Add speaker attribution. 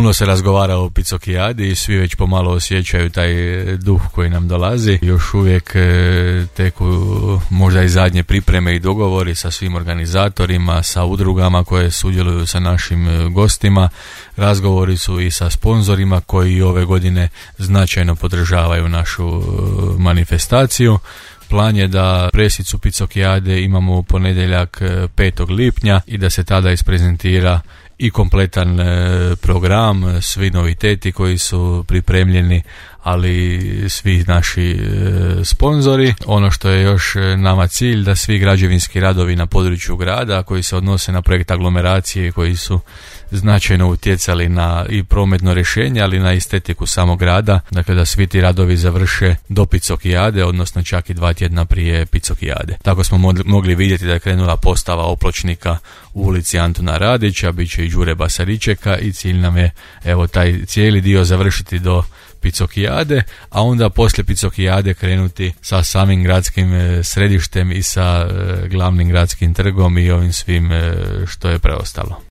Speaker 1: Puno se razgovara o Picokijadi i svi već pomalo osjećaju taj duh koji nam dolazi. Još uvijek teku možda i zadnje pripreme i dogovori sa svim organizatorima, sa udrugama koje sudjeluju sa našim gostima. Razgovori su i sa sponzorima koji ove godine značajno podržavaju našu manifestaciju. Plan je da presicu Picokijade imamo u ponedjeljak 5. lipnja i da se tada isprezentira i kompletan program, svi noviteti koji su pripremljeni, ali svi naši sponzori. Ono što je još nama cilj, da svi građevinski radovi na području grada koji se odnose na projekt aglomeracije, koji su značajno utjecali na i prometno rješenje, ali na estetiku samog grada, dakle da svi ti radovi završe do Picokijade, odnosno čak i 2 tjedna prije Picokijade. Tako smo mogli vidjeti da je krenula postava opločnika u ulici Antuna Radića, bit će i Đure Basaričeka i cilj nam je evo taj cijeli dio završiti do Picokijade, a onda poslije Picokijade krenuti sa samim gradskim središtem i sa glavnim gradskim trgom i ovim svim što je preostalo.